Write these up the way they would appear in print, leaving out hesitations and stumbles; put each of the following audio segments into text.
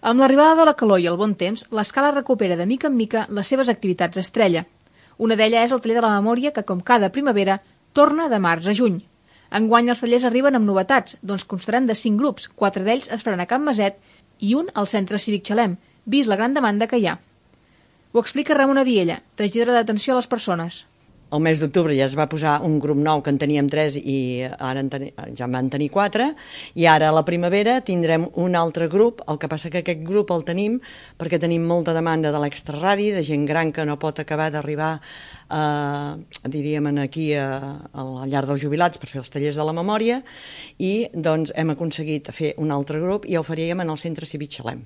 Amb l'arribada de la calor i el bon temps, l'Escala recupera de mica en mica les seves activitats estrella. Una d'elles és el taller de la memòria que, com cada primavera, torna de març a juny. Enguany els tallers arriben amb novetats, doncs constaran de 5 grups, 4 d'ells es faran a Can Maset i un al Centre Cívic Xalem, vist la gran demanda que hi ha. Ho explica Ramona Viella, regidora d'Atenció a les Persones. El mes d'octubre ja es va posar un grup nou que en teníem 3 i ara ja en van tenir 4 i ara a la primavera tindrem un altre grup, el que passa que aquest grup el tenim perquè tenim molta demanda de l'extraradi, de gent gran que no pot acabar d'arribar diríem aquí al llar dels jubilats per fer els tallers de la memòria i doncs hem aconseguit fer un altre grup i el faríem en el Centre Cívic Xalem.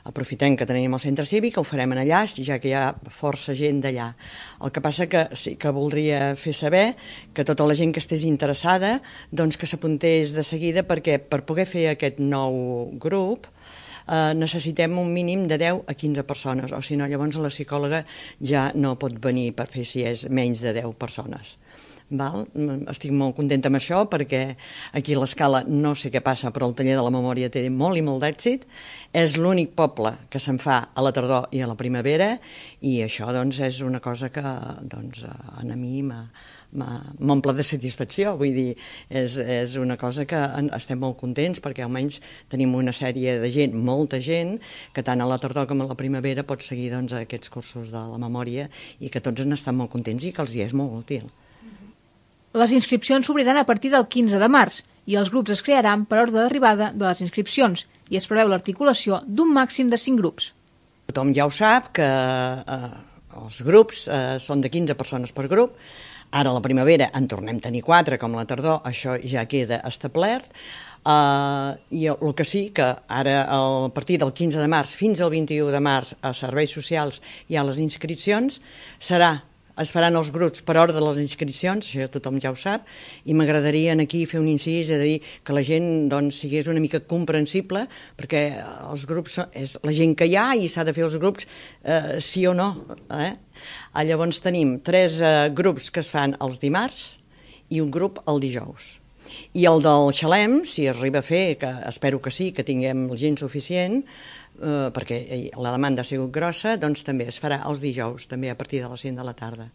Aprofitem que tenim el centre cívic, ho farem en allà, ja que hi ha força gent d'allà. El que passa que sí que voldria fer saber que tota la gent que estés interessada doncs que s'apuntés de seguida perquè per poder fer aquest nou grup necessitem un mínim de 10 a 15 persones, o si no llavors la psicòloga ja no pot venir per fer si és menys de 10 persones. Estic molt contenta amb això perquè aquí a l'Escala no sé què passa però el taller de la memòria té molt i molt d'èxit, és l'únic poble que se'n fa a la tardor i a la primavera i això doncs és una cosa que doncs, a mi m'omple de satisfacció, vull dir, és una cosa que estem molt contents perquè almenys tenim una sèrie de gent, molta gent, que tant a la tardor com a la primavera pot seguir doncs, aquests cursos de la memòria i que tots n'estan molt contents i que els hi és molt útil. Les inscripcions s'obriran a partir del 15 de març i els grups es crearan per ordre d'arribada de les inscripcions i es preveu l'articulació d'un màxim de 5 grups. Tothom ja ho sap que els grups són de 15 persones per grup. Ara a la primavera en tornem a tenir 4, com a la tardor, això ja queda establert. I el que sí que ara a partir del 15 de març fins al 21 de març a Serveis Socials hi ha les inscripcions, es faran els grups per ordre de les inscripcions, això tothom ja ho sap, i m'agradaria aquí fer un incís a dir que la gent doncs, sigués una mica comprensible, perquè els grups és la gent que hi ha i s'ha de fer els grups sí o no. Llavors tenim 3 grups que es fan els dimarts i un grup el dijous. I el del Xalem, si es arriba a fer, que espero que sí, que tinguem gent suficient, perquè la demanda ha sigut grossa, doncs també es farà els dijous, també a partir de les 5 de la tarda.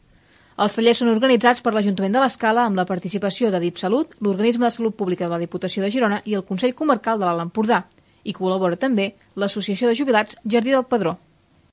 Els tallers són organitzats per l'Ajuntament de l'Escala amb la participació de DIPSalut, l'Organisme de Salut Pública de la Diputació de Girona i el Consell Comarcal de l'Alt Empordà, i col·labora també l'Associació de Jubilats Jardí del Pedró.